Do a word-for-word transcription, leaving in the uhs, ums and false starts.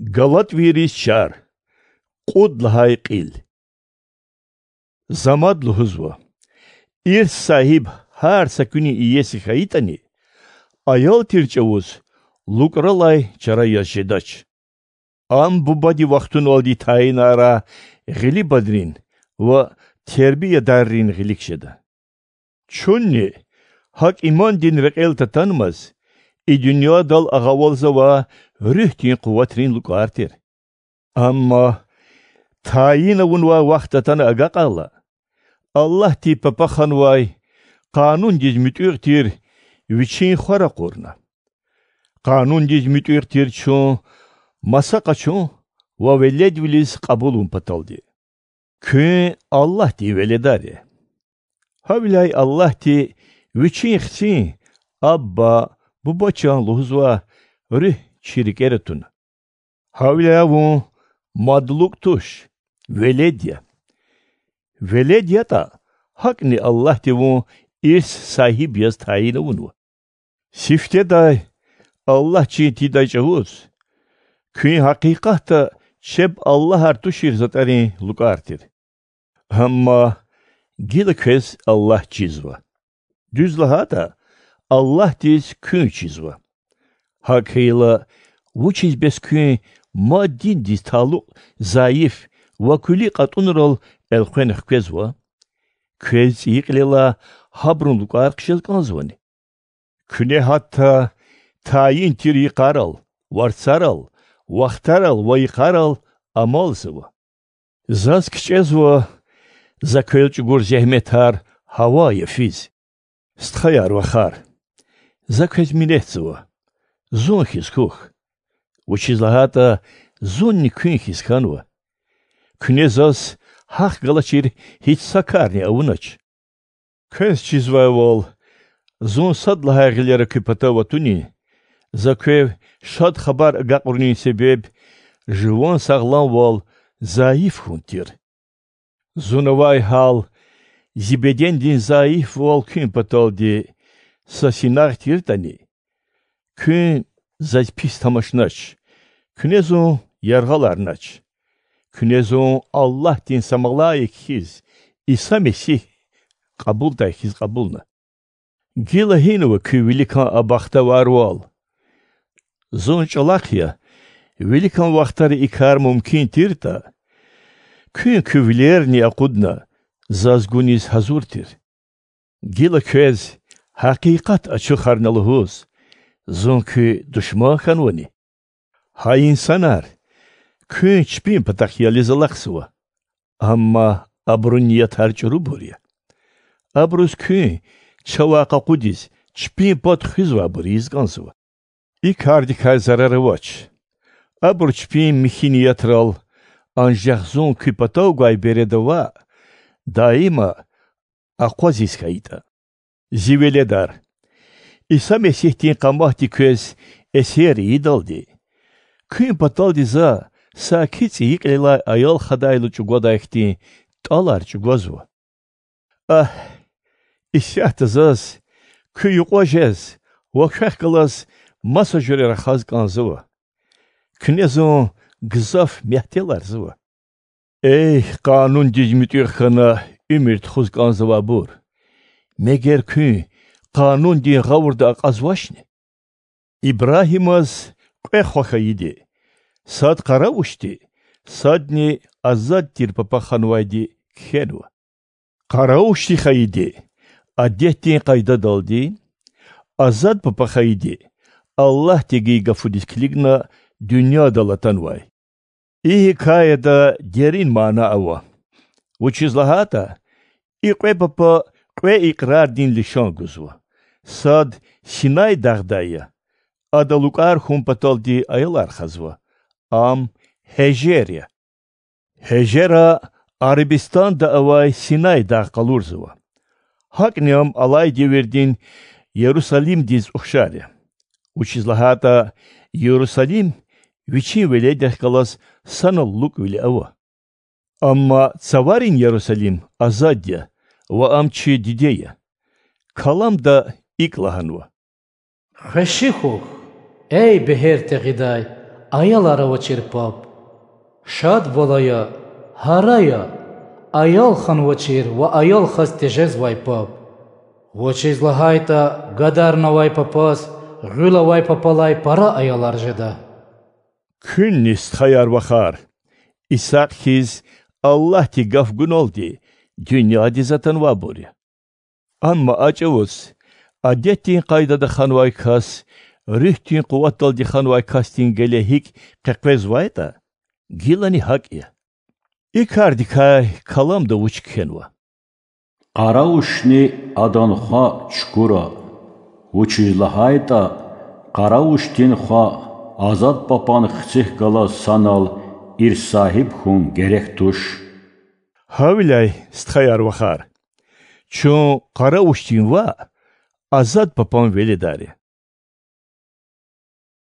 Галатвийриз чар. Кьуд лагьай кьил. За мад лугьузва: ирс сагьиб гьар са куьнин иеси хьайитӀани, аял тир чӀавуз лукӀралай чара яз жедач. Ам бубади вахтуналди тайинарай гъилибанрин ва тербиядаррин гъилик жеда. Чунни, гьакӀ имандин рекьел татанмаз, и дуьньядал агъавалзавай руьгьдин къуватрин лукӀар тир. Амма тайин авунвай вахт атана агакьайла, Аллагьди папа ханвай, къанундиз муьтӀуьгъ тир Вичин Хва ракъурна. Къанундиз муьтӀуьгъ тир чун маса къачун ва веледвилиз кьабулун паталди. Куьн Аллагьдин веледар я. Гьавиляй Аллагьди Вичин Хцин: Абба, Буба чан лугьузвай Руьгь чи рикӀера туна. Гьавиляй вун мад лукӀ туш, велед я. Велед ятӀа, гьакӀни Аллагьди вун ирс сагьиб яз тайин авунва. Сифтедай, Аллагьчин тийидай чӀавуз, куьн гьакъикъатда чеб аллагьар тушир затӀарин лукӀар тир. Амма гила квез Аллагь чизва. Дуьз лагьайтӀа, Аллагьдиз куьн чизва. ГьакӀ хьайила, вучиз бес куьн мад диндиз талукь зайиф ва куьлуь кьатӀунрал элкъвена хквезва? Квез цӀийи кьилелай гьабурун лукӀар хъжез кӀанзавани? Куьне гьатта тайин тир йикъарал, варцарал, вахтарал ва йикъарал амалзава. Заз кичӀезва за квел чӀугур зегьметар гьавая физ. Стхаяр-вахар, за квез минетзава, зун хьиз хьухь, вучиз лагьайтӀа зунни куьн хьиз хьанва. Куьне заз гьахъ галачир гьич са карни авунач. Квез чизвайвал, зун сад лагьай гъилера куь патав атунин, за квев Шад Хабар агакьарунин себеб жуван сагъламвал зайиф хьун тир. Зун авай гьал зи бедендин зайифвал куьн паталди са синагъ тиртӀани, куьн заз пис тамашнач, куьне зун яргъаларнач. Куьне зун Аллагьдин са малаик хьиз, Иса Месигь кьабулдай хьиз кьабулна. Гила гьинва куь виликан а бахтаварвал? Зун чӀалахъ я, виликан вахтара и кар мумкин тиртӀа, куьн куь вилерни акъудна, заз гуниз гьазур тир. Гила квез гьакъикъат ачухарна лугьуз, зун куь душман хьанвани? Гьа инсанар, куьн чпин патахъ ялиз алахъзава, амма абурун ниятар чӀурубур я. Абуруз куьн чавай къакъудиз чпин пад хуьзвайбур ийиз кӀанзава. И кардикай зарар авач. Абур чпин михьи ниятрал, анжах зун куь патав гвай береда ваъ, даима акъвазиз хьайитӀа. Зи веледар, Иса Месигьдин къаматди квез эсер ийидалди, куьн паталди за саки цӀийи кьилелай аял хадайла чӀугвадай хьтин тӀалар чӀугвазва. Агь, исятда заз куь юкьва жез ва квехъ галаз маса жуьре рахаз кӀанзава. Куьне зун гзаф мягьтеларзава. Эй, къанундиз муьтӀуьгъ хьана уьмуьр тухуз кӀанзавайбур! Мегер куьн къанундин гъавурда акьазвачни? Ибрагьимаз кьве хва хьайиди, сад къаравушди, садни азад тир папа ханвайди кхьенва. Къаравушди хьайиди адетдин къайдадалди, азад папа хьайиди Аллагьдивай гафуниз килигна дуьньядал атанвай. И гьикаяда дерин мана ава, вучиз лагьайтӀа и кьве папа кьве икьрардин лишан гузва. Сад Синай дагъдай я, ада лукӀар хьун паталди аялар хазва, ам Гьежер я. Гьежера Арабистанда авай Синай дагъ къалурзава. ГьакӀни ам алай девирдин Ярусалимдиз ухшар я. Вучиз лагьайтӀа Ярусалим вичин веледрихъ галаз санал лукӀвиле ава. Амма цаварин Ярусалим азад я ва ам чи диде я. Каламда икӀ лагьанва: Хвеши хьухь, эй бегьер тегъидай, Аялар авачир паб. Шад, валая, гьарая, аял ханвачир ва аял хаз тежезвай паб. Вучиз лагьайтӀа гадарнавай папаз гъуьл авай папалай пара аялар жеда. Куьнни, стхаяр-вахар, Исакь хьиз Аллагьди гаф гуналди дуьньядиз атанвайбур я. Амма а чӀавуз адетдин къайдада ханвай кас руьгьдин къуватдалди ханвай касдин геле гьикӀ къекъвезвайтӀа, гилани гьакӀ я. И кардикай каламда вуч кхьенва? Къаравушни адан хва чукӀура, вучиз лагьайтӀа къаравушдин хва азад папан хцихъ галаз санал ирс сагьиб хьун герек туш. Гьавиляй, стхаяр-вахар, чун къаравушдин ваъ, азад папан веледар я.